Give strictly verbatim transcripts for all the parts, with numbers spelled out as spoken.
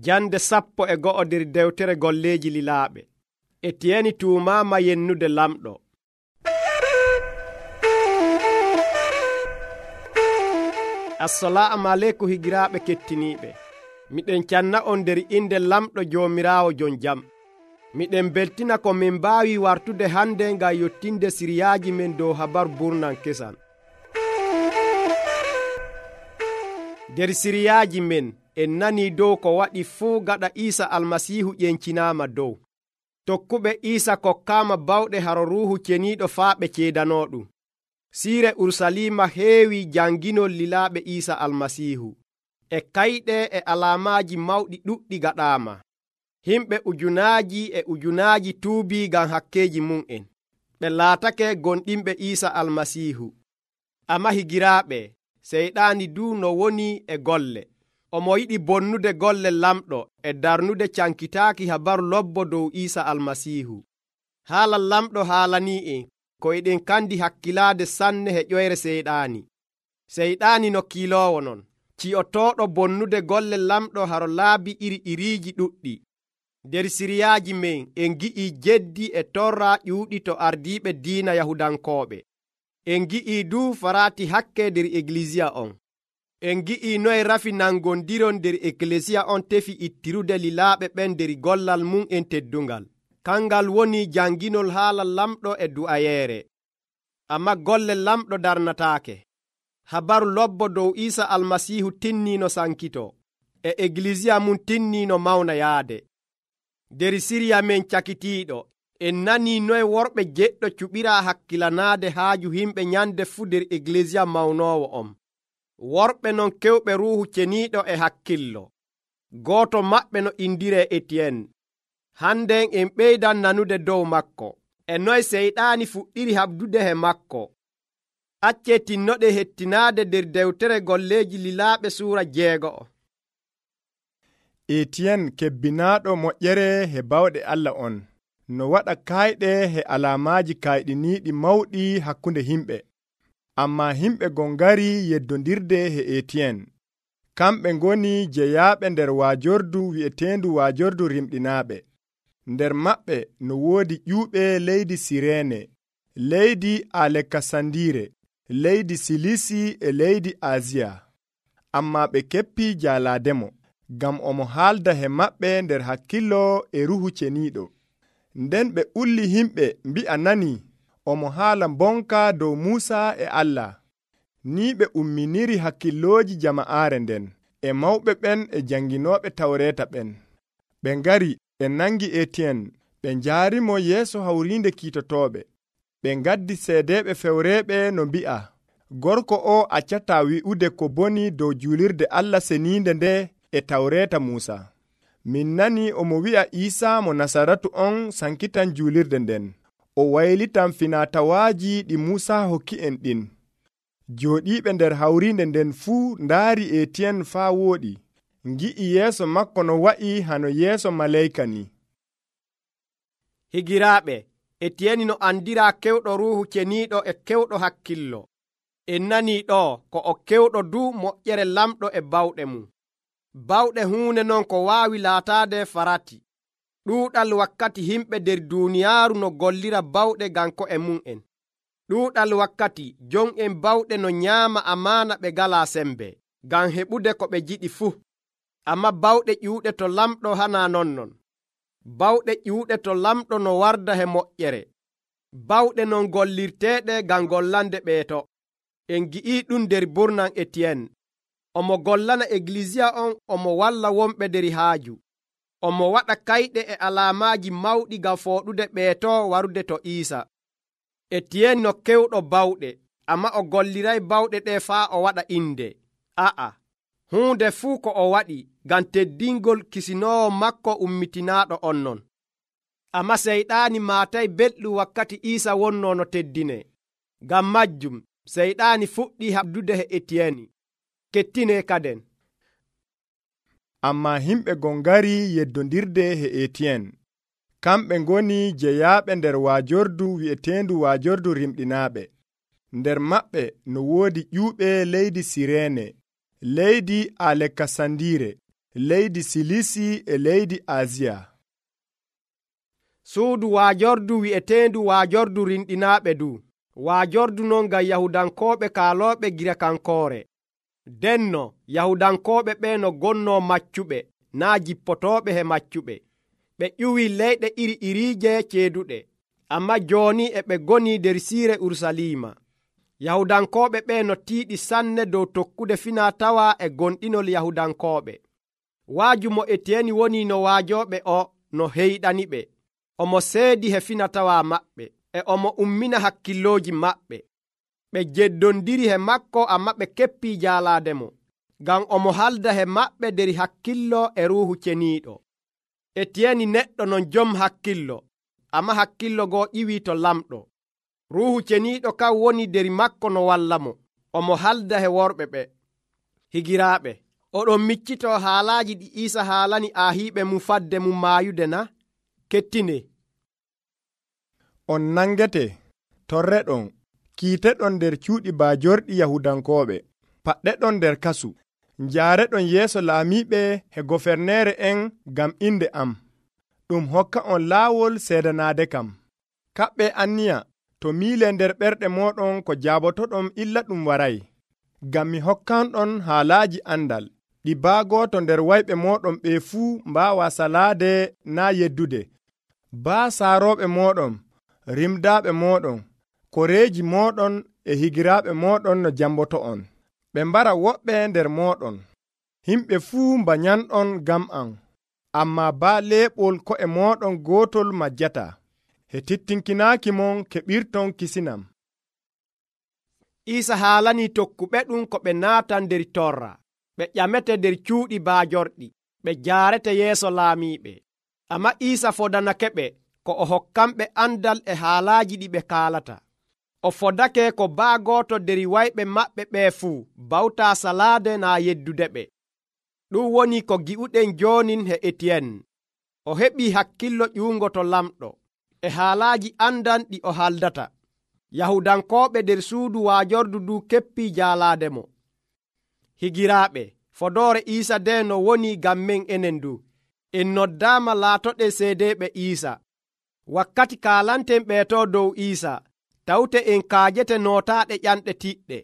Jande sappo e go'o nder dewtere golleeji lilaaɓe. Etiyeni tuumaama yennude lamɗo. Assalamu aleykum higiraaɓe kettiniiɓe. Miɗen canna on nder inde lamɗo Joomiraawo jon jam. Miɗen beltina ko min mbaawi wartude hande ngam yottinde siriyaaji men dow habaru burnan kesan. Nder siriyaaji men en nani dow ko waɗi fuu gaɗa Iisa almasiihu ƴencinaama dow. Tokkuɓe Iisa kokkaama bawɗe haro Ruuhu Ceniiɗo faa ɓe ceedanooɗum. Siire Urusalima heewi janginol lilaaɓe Iisa almasiihu. E kayɗe e alaamaaji mawɗi ɗuɗɗi gaɗaama. Himɓe ujunaaji e ujunaaji tuubii ngam hakkeeji mum'en. Ɓe laatake gonɗinɓe Iisa almasiihu. Ammaa higiraaɓe, seyɗaani duu no woni e golle. Omo yiɗi bonnude golle lamɗo e darnude cankitaaki habaru lobbo dow Iisa almasiihu. Haala lamɗo haalanii'en ko eɗen kandi hakkilaade sanne he ƴoyre seyɗaani. Seyɗaani no kiiloowo non, ci'otooɗo bonnude golle lamɗo haro laabi iri iriiji ɗuɗɗi. Nder siriyaaji men en gi'ii jeddi e torra ƴuuɗi to ardiiɓe diina Yahudankooɓe. En gi'ii duu faraati hakke nder Eglisiya on. En gi'ii noye rafi nangondiron nder Eklesiya on tefi ittirude lilaaɓe ɓen nder gollal mum en teddungal. Kangal woni janginol haala lamɗo e du'ayeere. Amma golle lamɗo darnataake. Habaru lobbo dow Iisa almasiihu tinniino sankito. E Eglisiya mum tinniino mawna yaade. Nder siriya men cakitiiɗo, en nanii noye worɓe jeɗɗo cuɓiraa hakkilanaade haaju himɓe nyande fuu nder Eglisiya mawnoowo on. Worɓe non kewɓe Ruuhu Ceniiɗo e hakkillo. Gooto maɓɓe no indiree Etiyen. Hannden en ɓeydan nanude dow makko. E noye seyɗaani fuɗɗiri habdude he makko. Accee tinnoɗe hettinaade nder dewtere golleeji lilaaɓe suura jeego'o. Etiyen kebbinaaɗo moƴƴere he bawɗe Allah on, no waɗa kayɗe he alaamaaji kayɗiniiɗi mawɗi hakkunde himɓe. Ammaa himɓe gon ngari yeddondirde he Etiyen. Kamɓe ngoni jeyaaɓe nder waajordu wi'eteendu waajordu rimɗinaaɓe. Nder maɓɓe no woodi ƴuuɓe leydi Sireene, leydi Aleksandiire, leydi Silisi e leydi Asiya. Ammaa ɓe keppii jaalaademo, ngam omo haalda he maɓɓe nder hakkillo e Ruuhu Ceniiɗo. Nden ɓe ulli himɓe mbi'a nani omo haala bonka dow Muusa e Allah. Ni ɓe umminiri hakkillooji jama'aare nden e mawɓe ɓen e janginooɓe tawreeta ɓen. Ɓe ngari ɓe nangi Etiyen, ɓe njaarimo yeeso hawriinde kiitotooɓe. Ɓe ngaddi seedeeɓe fewreeɓe no mbi'a, gorko o accataa wi'ude ko boni dow juulirde Allah seniinde nde e tawreeta Muusa. Min nani omo wi'a Iisa mo Nasaratu on sankitan juulirde nden. O waylitan finatawaaji ɗi Muusa hokki en ɗin. Jooɗiiɓe nder hawriinde nden fuu ndaari Etiyen faa wooɗi. Ngi'i yeeso makko no wa'i hano yeeso maleyka ni. Higiraaɓe, Etiyeni no andiraa kewɗo Ruuhu Ceniiɗo e kewɗo hakkillo. En nanii ɗo ko o kewɗo duu moƴƴere lamɗo e bawɗe mum. Bawɗe huunde non ko waawi laataade farati. Ɗuuɗal wakkati himɓe nder duuniyaaru no gollira bawɗe ngam ko'e mum'en. Ɗuuɗal wakkati jon'en bawɗe no nyaama amaana ɓe ngalaa sembe, ngam heɓude ko ɓe jiɗi fuu. Ammaa bawɗe ƴuuɗe to lamɗo hanaa nonnon. Bawɗe ƴuuɗe to lamɗo no warda he moƴƴere. Bawɗe non gollirteeɗe ngam gollande ɓeeto. En gi'ii ɗum nder burnan Etiyen. Omo gollana Eglisiya on, omo walla wonɓe nder haaju. Omo waɗa kayɗe e alaamaaji mawɗi ngam fooɗude ɓeeto warude to Iisa. Etiyen no kewɗo bawɗe, ammaa o golliray bawɗe ɗe faa o waɗa inde. A'a, huunde fuu ko o waɗi ngam teddingol kisinoowo makko ummitinaaɗo on non. Ammaa seyɗaani maatay belɗum wakkati Iisa wonnoo no teddinee. Ngam majjum seyɗaani fuɗɗii habdude he Etiyeni. Kettinee kaden. Ammaa himɓe gon ngari yeddondirde he Etiyen. Kamɓe ngoni jeyaaɓe nder waajordu wi'eteendu waajordu rimɗinaaɓe. Nder maɓɓe no woodi ƴuuɓe leydi Sireene, leydi Aleksandiire, leydi Silisi e leydi Asiya. Suudu waajordu wi'eteendu waajordu rinɗinaaɓe du. Waajordu non ngam Yahudankooɓe kaalooɓe gila kankoore. Denno Yahudankooɓe ɓe no gonnoo maccuɓe, naa jippotooɓe he maccuɓe. Ɓe ƴuwii leyɗe iri iriije ceeduɗe, ammaa jooni e ɓe ngonii nder siire Urusalima. Yahudankooɓe ɓe no tiiɗi sanne dow tokkude finaa-tawaa e gonɗinol Yahudankooɓe. Waaju mo Etiyeni woni no waajooɓe o no heyɗaniɓe. Omo seedi he finaa-tawaa maɓɓe, e omo ummina hakkillooji maɓɓe. Ɓe jeddondiri he makko, ammaa ɓe keppii jaalaademo, ngam omo halda he maɓɓe nder hakkillo e Ruuhu Ceniiɗo. Etiyeni neɗɗo non jom hakkillo, ammaa hakkillo goo ƴiwii to lamɗo. Ruuhu Ceniiɗo kan woni nder makko no wallamo, omo halda he worɓe ɓe. Higiraaɓe, oɗon miccitoo haalaaji ɗi Iisa haalani aahiiɓe mum fadde mum maayude na? Kettinee. On nangete, torreɗon, kiiteɗon nder cuuɗi baajorɗi Yahudankooɓe, paɗɗeɗon nder kasu, njaareɗon yeeso laamiiɓe he goferneere en ngam inde am. Ɗum hokka on laawol seedanaade kam. Kaɓɓe anniya to miile nder ɓerɗe mooɗon ko jaabotoɗon illa ɗum waray, ngam mi hokkanɗon haalaaji andal, ɗi baagooto nder wayɓe mooɗon ɓe fuu mbaawa salaade naa yeddude, baa saarooɓe mooɗon, rimdaaɓe mooɗon, koreeji mooɗon e higiraaɓe mooɗon no jamboto'on. Ɓe mbara woɓɓe nder mooɗon. Himɓe fuu mbanyanɗon ngam am, ammaa baa leeɓol ko'e mooɗon gootol majjata. He tittinkinaaki mon keɓirton kisinam. Iisa haalanii tokkuɓe ɗum ko ɓe naatan nder torra. Ɓe ƴamete nder cuuɗi baajorɗi, ɓe jaarete yeeso laamiiɓe. Ammaa Iisa fodanake ɓe ko o hokkanɓe andal e haalaaji ɗi ɓe kaalata. O fodake ko baagooto nder wayɓe maɓɓe ɓee fuu bawtaa salaade naa yeddude ɓe. Ɗum woni ko gi'uɗen joonin he Etiyen. O heɓii hakkillo ƴuungo to lamɗo e haalaaji andan ɗi o haldata. Yahudankooɓe nder suudu waajordu du keppii jaalaademo. Higiraaɓe, fodoore Iisa de no woni ngam men enen du. En noddaama laatoɗen seedeeɓe Iisa. Wakkati kaalanten ɓeetoo dow Iisa, tawte en kaajete nootaaɗe ƴanɗe tiɗɗe,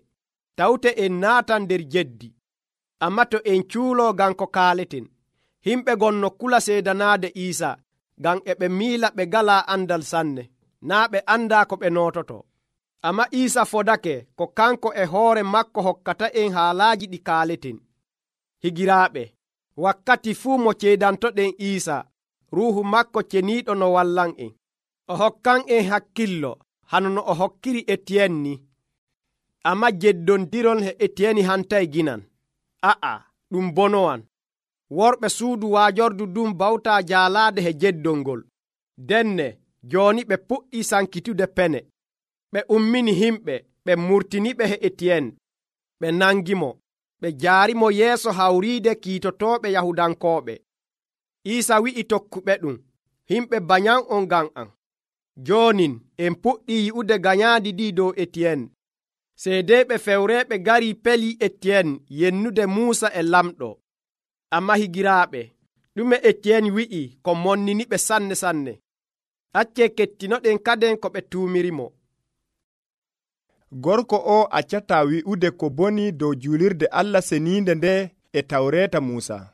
tawte en naatan nder jeddi. Ammaa to en cuuloo ngam ko kaaleten, himɓe gon no kula seedanaade Iisa, ngam e ɓe miila ɓe ngalaa andal sanne, naa ɓe andaa ko ɓe noototo. Ammaa Iisa fodake ko kanko e hoore makko hokkata en haalaaji ɗi kaaleten. Higiraaɓe, wakkati fuu mo ceedantoɗen Iisa, Ruuhu makko Ceniiɗo no wallan en. O hokkan en hakkillo, hano no o hokkiri Etiyen ni. Ammaa jeddondirol he Etiyeni hantay ginan. A'a, ɗum bonowan. Worɓe suudu waajordu ɗum bawtaa jaalaade he jeddolngol. Denne, jooni ɓe puɗɗii sankitude pene. Ɓe ummini himɓe, ɓe murtiniɓe he Etiyen. Ɓe nangimo, ɓe jaarimo yeeso hawriide kiitotooɓe Yahudankooɓe. Iisa wi'i tokkuɓe ɗum, himɓe banyan on ngam am. Joonin en puɗɗii yi'ude ganyaandi ɗi dow Etiyen. Seedeeɓe fewreeɓe garii pelii Etiyen yennude Muusa e lamɗo. Ammaa higiraaɓe, ɗume Etiyen wi'i ko monniniɓe sanne sanne. Accee kettinoɗen kaden ko ɓe tuumirimo. Gorko o accataa wi'ude ko boni dow juulirde Allah seniinde nde e tawreeta Muusa.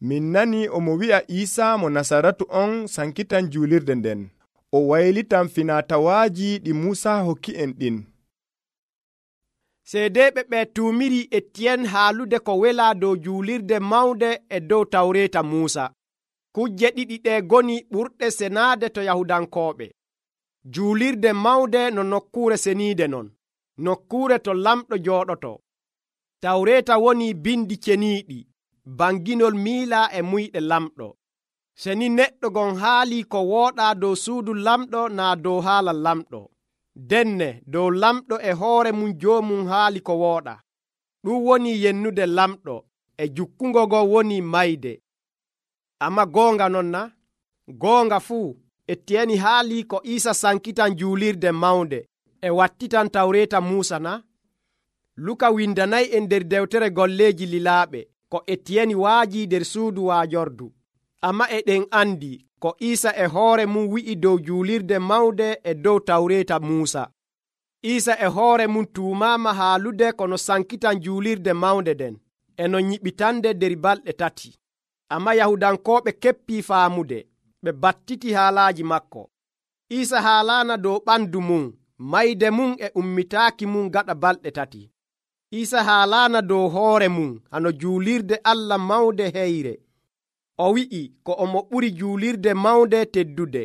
Min nani omo wi'a Iisa mo Nasaratu on sankitan juulirde nden. O waylitan finaa-tawaaji ɗi Muusa hokki en ɗin. Seedeeɓe ɓe tuumiri Etiyen haalude ko welaa dow juulirde mawnde e dow tawreeta Muusa. Kujje ɗiɗi ɗe goni ɓurɗe senaade to Yahudankooɓe. Juulirde mawnde no nokkuure seniide non, nokkuure to lamɗo jooɗoto. Tawreeta woni bindi ceniiɗi, banginol miilaa e muyɗe lamɗo. Seni neɗɗo gon haalii ko wooɗaa dow suudu lamɗo naa dow haala lamɗo. Denne dow lamɗo e hoore mum joomum haali ko wooɗa. Ɗum woni yennude lamɗo, e jukkungo go woni mayde. Amma goonga non na? Goonga fuu, Etiyeni haalii ko Iisa sankitan juulirde mawnde e wattitan tawreeta Muusa na? Luka windanay en nder dewtere golleeji lilaaɓe ko Etiyeni waaji nder suudu waajordu. Amma eɗen andi ko Iisa e hoore mum wi'i dow juulirde mawde e dow tawreeta Muusa. Iisa e hoore mum tuumaama haalude kono sankitan juulirde mawnde den e no nyiɓitande nder balɗe tati. Amma Yahudankooɓe keppii faamude, ɓe battiti haalaaji makko. Iisa haalaana dow ɓandu mum, mayde mum e ummitaaki mum gaɗa balɗe tati. Iisa haalaana dow hoore mum hano juulirde Allah mawde heyre. O wi'i ko omo ɓuri juulirde mawnde teddude.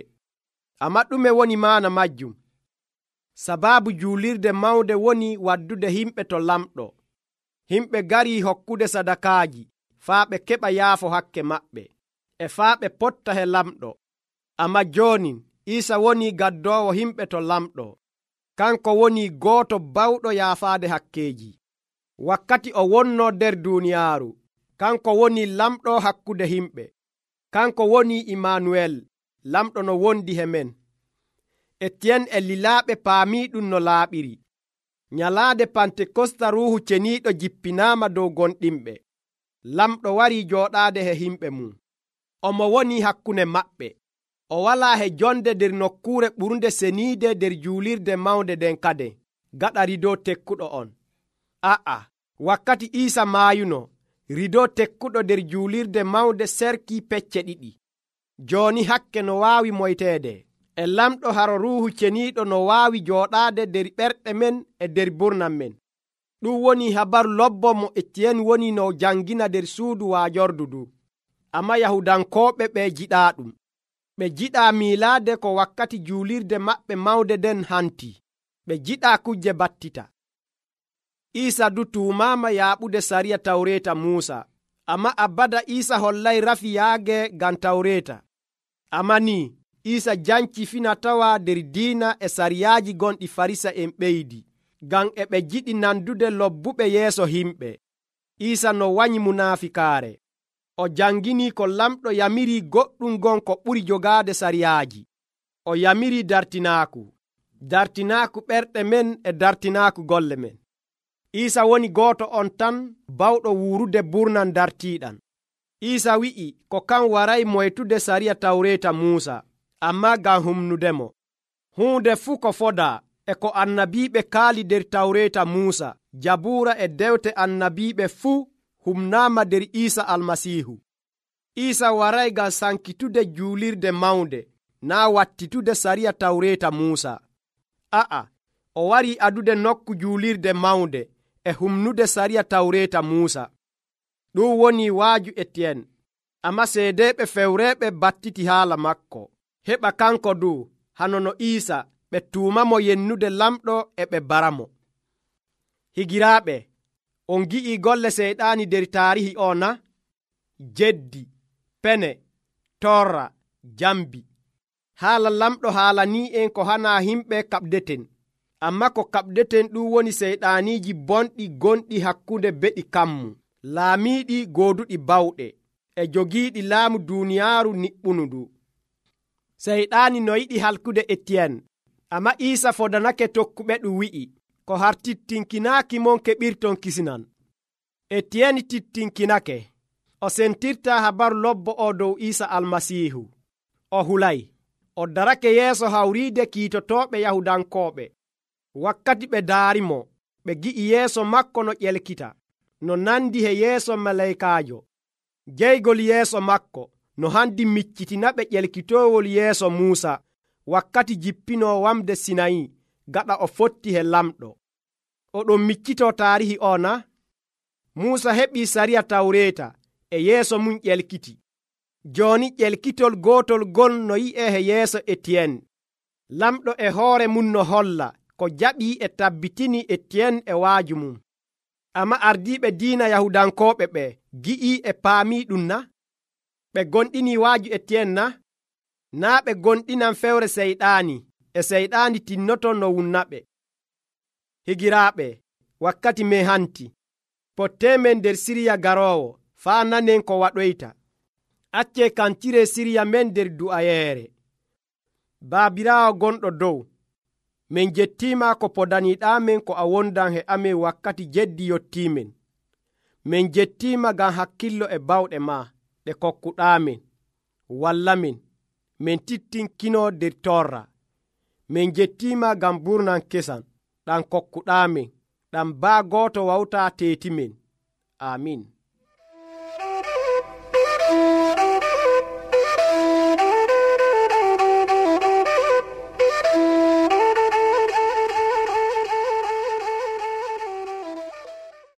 Amma ɗume woni maana majjum? Sabaabu juulirde mawnde woni waddude himɓe to lamɗo. Himɓe garii hokkude sadakaaji faa ɓe keɓa yaafo hakke maɓɓe e faa ɓe potta he lamɗo. Amma jooni Iisa woni gaddoowo himɓe to lamɗo. Kanko woni gooto bawɗo yaafaade hakkeeji. Wakkati o wonnoo nder duuniyaaru, kanko woni lamɗo hakkude himɓe. Kanko woni Imaanuwel, lamɗo no wondi he men. Etiyen e lilaaɓe paamii ɗum no laaɓiri. Nyalaade Pantekosta Ruuhu Ceniiɗo jippinaama dow gonɗinɓe. Lamɗo warii jooɗaade he himɓe mum. Omo woni hakkunde maɓɓe. O walaa he jonde nder nokkuure ɓurnde seniide nder juulirde mawnde den kade, gaɗa rido tekkuɗo on. A'a, wakkati Iisa maayuno, rido tekkuɗo nder juulirde mawnde serkii pecce ɗiɗi. Jooni hakke no waawi moyteede, e lamɗo haro Ruuhu Ceniiɗo no waawi jooɗaade nder ɓerɗe men e nder burnam men. Ɗum woni habaru lobbo mo Etiyen woni no jangina nder suudu waajordu du. Amma Yahudankooɓe ɓe jiɗaa ɗum. Ɓe jiɗaa miilaade ko wakkati juulirde maɓɓe mawnde den hanti. Ɓe jiɗaa kujje battita. Iisa du tuumaama yaaɓude sariya tawreeta Muusa. Amma abada Iisa hollay rafi yaage ngam tawreeta. Amma ni Iisa janci fina tawa nder diina e sariyaaji gonɗi Farisa en ɓeydi, ngam e ɓe jiɗi nandude lobbuɓe yeeso himɓe. Iisa no wanyi munaafikaare. O jangini ko lamɗo yamiri goɗɗum gon ko ɓuri jogaade sariyaaji. O yamiri dartinaaku, dartinaaku ɓerɗe men e dartinaaku golle men. Iisa woni gooto on tan bawɗo wuurude burnan dartiiɗan. Iisa wi'i ko kan waray moytude sariya tawreeta Muusa, amma ngam humnudemo. Huunde fuu ko fodaa e ko annabiiɓe kaali nder tawreeta Muusa, Jabuura e dewte annabiiɓe fuu humnaama nder Iisa Almasiihu. Iisa waray ngam sankitude juulirde mawnde, naa wattitude sariya tawreeta Muusa. A'a, o warii adude nokku juulirde mawnde e humnude sariya tawreeta Muusa. Ɗum woni waaju Etiyen. Amma seedeeɓe fewreeɓe battiti haala makko, heɓa kanko du hano no Iisa ɓe tuumamo yennude lamɗo e ɓe baramo. Higiraaɓe, on gi'ii golle seyɗaani nder taarihi o na? Jeddi, pene, torra, jambi. Haala lamɗo haalanii en ko hana himɓe kaɓdeten. Amma ko kaɓdeten ɗum woni seyɗaaniiji bonɗi gonɗi hakkunde beɗi kammu, laamiiɗi gooduɗi bawɗe, e jogiiɗi laamu duuniyaaru niɓɓunudu. Seyɗaani no yiɗi halkude Etiyen, amma Iisa fodanake tokkuɓe ɗum wi'i, ko har tittinkinaaki mon keɓirton kisinan. Etiyen tittinkinake. O sentirta habaru lobbo o dow Iisa Almasiihu. O hulay. O darake yeeso hawriide kiitotooɓe Yahudankooɓe. Wakkati ɓe daarimo, ɓe gi'i yeeso makko no ƴelkita, no nandi he yeeso malaykaajo. Jeygol yeeso makko no handi miccitina ɓe ƴelkitoowol yeeso Muusa wakkati jippinoo wamde Sinayi gaɗa o fotti he lamɗo. Oɗon miccitoo taarihi o na? Muusa heɓii sariya tawreeta e yeeso mum ƴelkiti. Jooni ƴelkitol gootol gon no yi'ee he yeeso Etiyen. Lamɗo e hoore mum no holla ko jaɓii e tabbitini Etiyen e waaju mum. Amma ardiiɓe diina Yahudankooɓe ɓe gi'ii e paamii ɗum na? Ɓe gonɗinii waaju Etiyen na? Naa ɓe gonɗinan fewre seyɗaani, e seyɗaani tinnoto no wunnaɓe. Higiraaɓe, wakkati men hanti. Potteemen nder siriya garoowo, faa nanen ko waɗoyta. Accee kancire siriya men nder du'ayeere. Baabiraawo gonɗo dow, min jettiima ko podaniiɗaamen ko a wondan he amen wakkati jeddi yottiimen. min jettiima ngam hakkillo e bawɗe ma ɗe kokkuɗaamin wallamin min tittinkino nder torra. min jettiima ngam burnan kesan ɗam kokkuɗaamin ɗam baa gooto wawta teetimin. Amin.